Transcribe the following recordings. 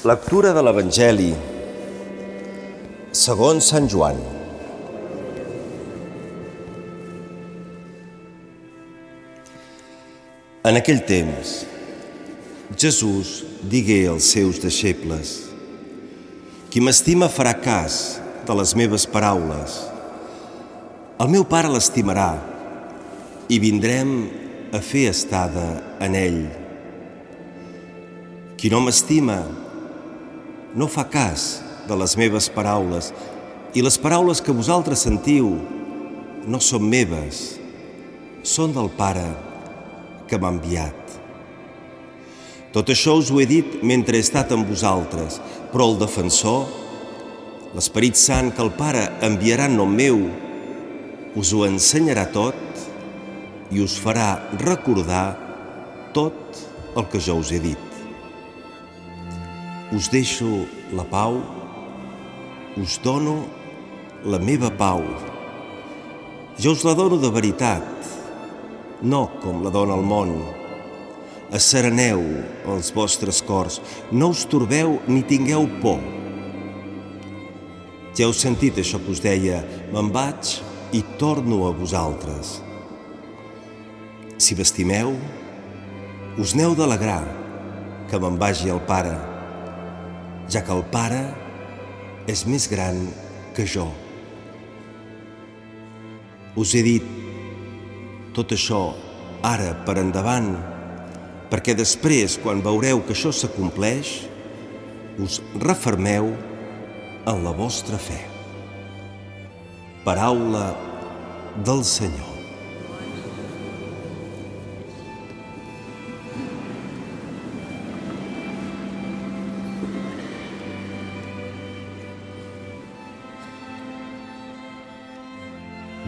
Lectura de l'Evangeli segons Sant Joan. En aquell temps, Jesús digué als seus deixebles: «Qui m'estima farà cas de les meves paraules. El meu Pare l'estimarà i vindrem a fer estada en ell. Qui no m'estima no fa cas de les meves paraules, i les paraules que vosaltres sentiu no són meves, són del Pare que m'ha enviat. Tot això us ho he dit mentre he estat amb vosaltres, però el Defensor, l'Esperit Sant que el Pare enviarà en nom meu, us ho ensenyarà tot i us farà recordar tot el que jo us he dit. Us deixo la pau, us dono la meva pau. Jo us la dono de veritat, no com la dona el món. Assereneu els vostres cors, no us torbeu ni tingueu por. Ja heu sentit això que us deia: me'n vaig i torno a vosaltres. Si m'estimeu, us n'heu d'alegrar que me'n vagi al Pare, ja que el Pare és més gran que jo. Us he dit tot això ara per endavant, perquè després, quan veureu que això s'acompleix, us refermeu en la vostra fe. Paraula del Senyor.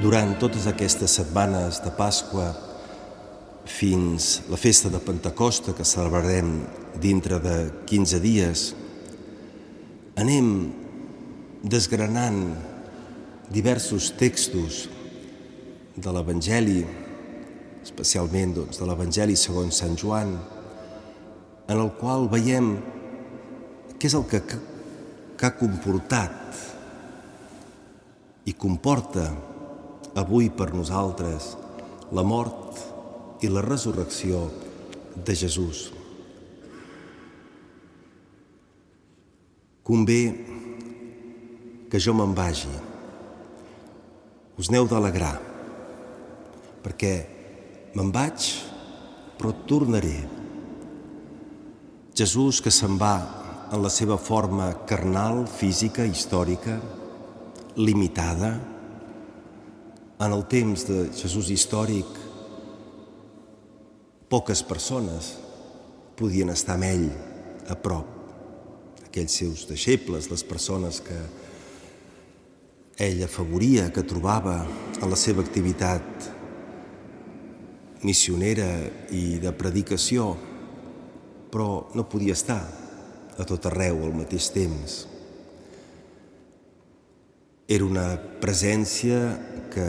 Durant totes aquestes setmanes de Pasqua fins la festa de Pentecosta, que celebrarem dintre de 15 dies, anem desgranant diversos textos de l'Evangeli, especialment de l'Evangeli segons Sant Joan, en el qual veiem què és el que ha comportat i comporta avui per nosaltres la mort i la resurrecció de Jesús. Convé que jo me'n vagi. Us n'heu d'alegrar, perquè me'n vaig, però tornaré. Jesús, que se'n va en la seva forma carnal, física, històrica, limitada. En el temps de Jesús històric, poques persones podien estar amb ell a prop. Aquells seus deixebles, les persones que ell afavoria, que trobava en la seva activitat missionera i de predicació, però no podia estar a tot arreu al mateix temps. Era una presència que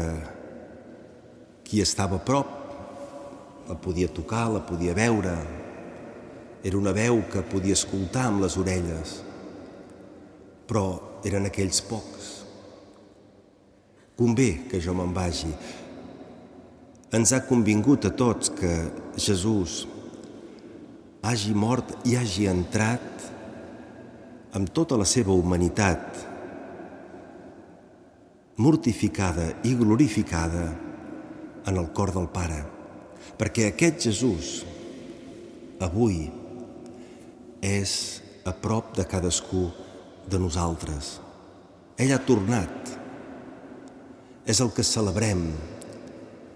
qui estava a prop la podia tocar, la podia veure. Era una veu que podia escoltar amb les orelles, però eren aquells pocs. Convé que jo me'n vagi. Ens ha convingut a tots que Jesús hagi mort i hagi entrat amb tota la seva humanitat, mortificada i glorificada en el cor del Pare, perquè aquest Jesús avui és a prop de cadascú de nosaltres. Ell ha tornat. És el que celebrem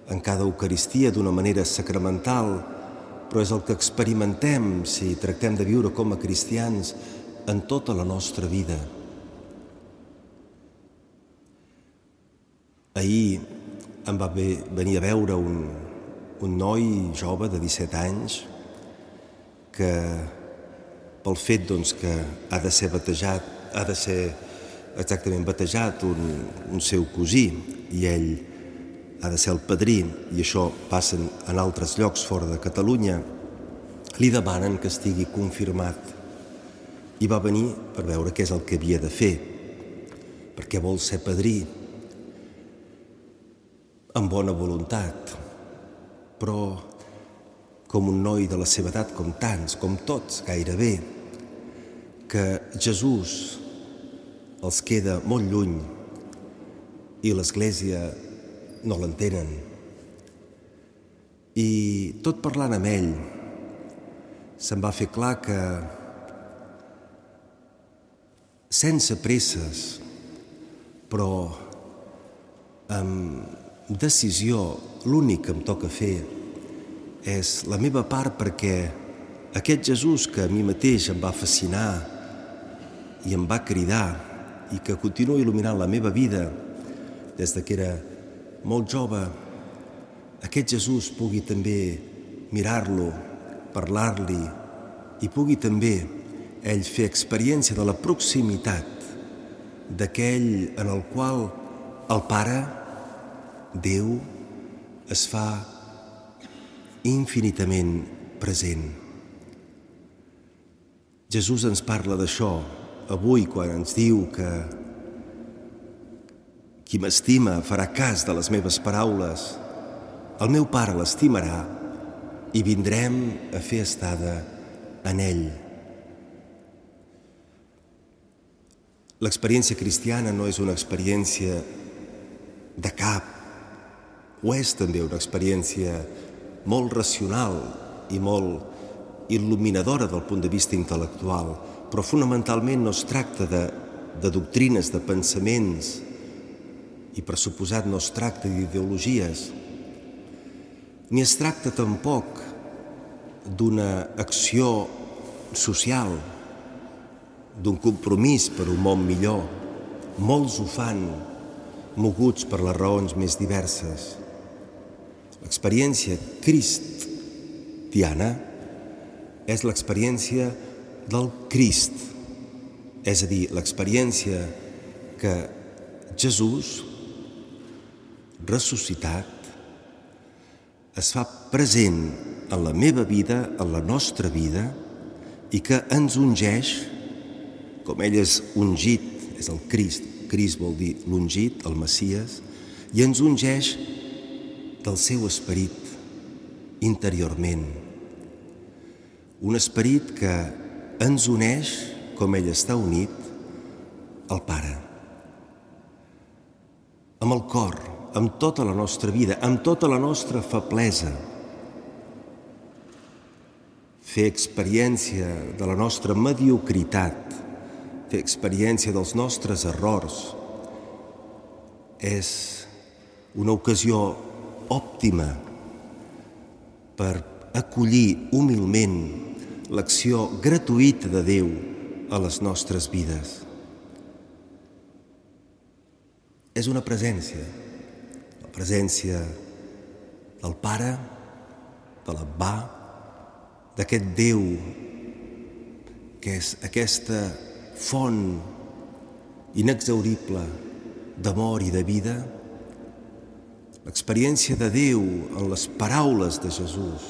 en cada Eucaristia d'una manera sacramental, però és el que experimentem si tractem de viure com a cristians en tota la nostra vida. Ahir em va venir a veure un noi jove de 17 anys que, pel fet que ha de ser batejat, ha de ser exactament batejat un seu cosí, i ell ha de ser el padrí, i això passa en altres llocs fora de Catalunya, li demanen que estigui confirmat i va venir per veure què és el que havia de fer, perquè vol ser padrí, amb bona voluntat, però com un noi de la seva edat, com tants, com tots gairebé, que Jesús els queda molt lluny i l'Església no l'entenen. I tot parlant amb ell, se'm va fer clar que sense presses, però amb decisió, l'únic que em toca fer és la meva part, perquè aquest Jesús que a mi mateix em va fascinar i em va cridar i que continua il·luminant la meva vida des que era molt jove, aquest Jesús pugui també mirar-lo, parlar-li i pugui també ell fer experiència de la proximitat d'aquell en el qual el Pare, Déu, es fa infinitament present. Jesús ens parla d'això avui quan ens diu que qui m'estima farà cas de les meves paraules, el meu Pare l'estimarà i vindrem a fer estada en ell. L'experiència cristiana no és una experiència de cap, ho és també una experiència molt racional i molt il·luminadora del punt de vista intel·lectual, però fonamentalment no es tracta de doctrines, de pensaments, i per suposat no es tracta d'ideologies, ni es tracta tampoc d'una acció social, d'un compromís per un món millor. Molts ho fan, moguts per les raons més diverses. L'experiència cristiana és l'experiència del Crist, és a dir, l'experiència que Jesús, ressuscitat, es fa present en la meva vida, en la nostra vida, i que ens ungeix, com ell és ungit, és el Crist, Crist vol dir l'ungit, el Messies, i ens ungeix del seu esperit interiorment. Un esperit que ens uneix, com ell està unit, al Pare. Amb el cor, amb tota la nostra vida, amb tota la nostra feblesa. Fer experiència de la nostra mediocritat, fer experiència dels nostres errors, és una ocasió òptima per acollir humilment l'acció gratuïta de Déu a les nostres vides. És una presència, la presència del Pare, de l'Abbà, d'aquest Déu que és aquesta font inexhaurible d'amor i de vida, l'experiència de Déu en les paraules de Jesús,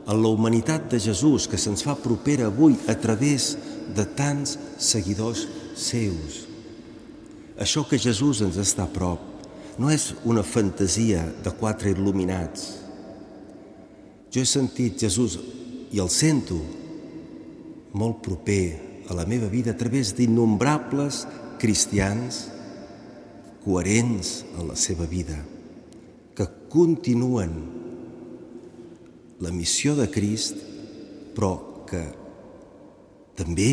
en la humanitat de Jesús que se'ns fa propera avui a través de tants seguidors seus. Això que Jesús ens està a prop no és una fantasia de quatre il·luminats. Jo he sentit Jesús, i el sento, molt proper a la meva vida a través d'innombrables cristians coherents en la seva vida, que continuen la missió de Crist, però que també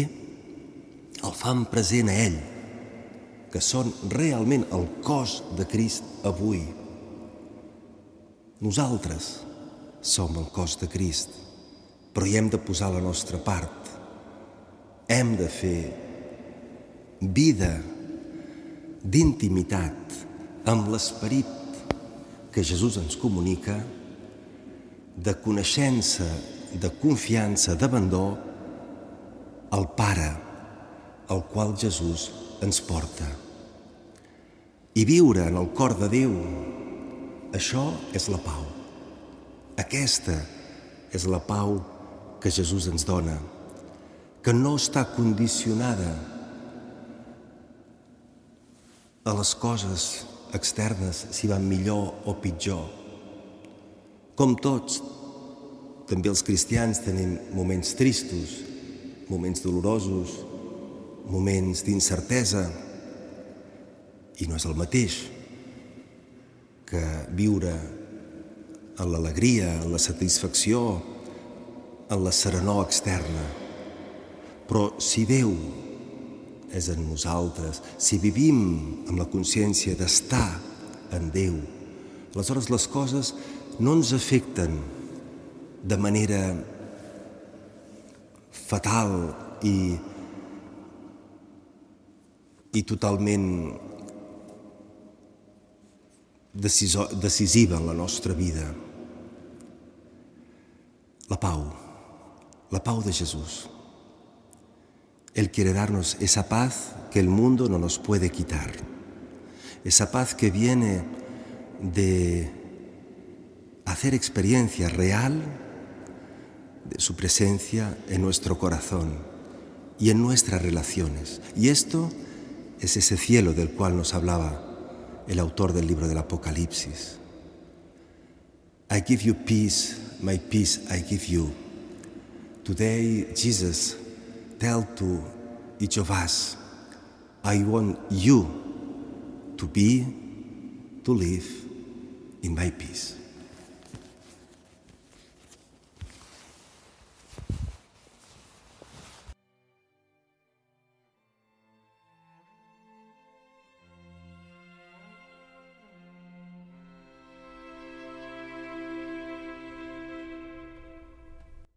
el fan present a ell, que són realment el cos de Crist avui. Nosaltres som el cos de Crist, però hi hem de posar la nostra part. Hem de fer vida d'intimitat amb l'esperit que Jesús ens comunica, de coneixença, de confiança, d'abandó al Pare, al qual Jesús ens porta. I viure en el cor de Déu, això és la pau. Aquesta és la pau que Jesús ens dona, que no està condicionada a les coses externes, si van millor o pitjor. Com tots, també els cristians tenim moments tristos, moments dolorosos, moments d'incertesa, i no és el mateix que viure en l'alegria, en la satisfacció, en la serenor externa. Però si Déu és en nosaltres, si vivim amb la consciència d'estar en Déu, aleshores les coses no ens afecten de manera fatal i totalment decisiva en la nostra vida. La pau de Jesús. Él quiere darnos esa paz que el mundo no nos puede quitar, esa paz que viene de hacer experiencia real de su presencia en nuestro corazón y en nuestras relaciones. Y esto es ese cielo del cual nos hablaba el autor del libro del Apocalipsis. I give you peace, my peace I give you. Today, Jesus tell to each of us, I want you to live in my peace.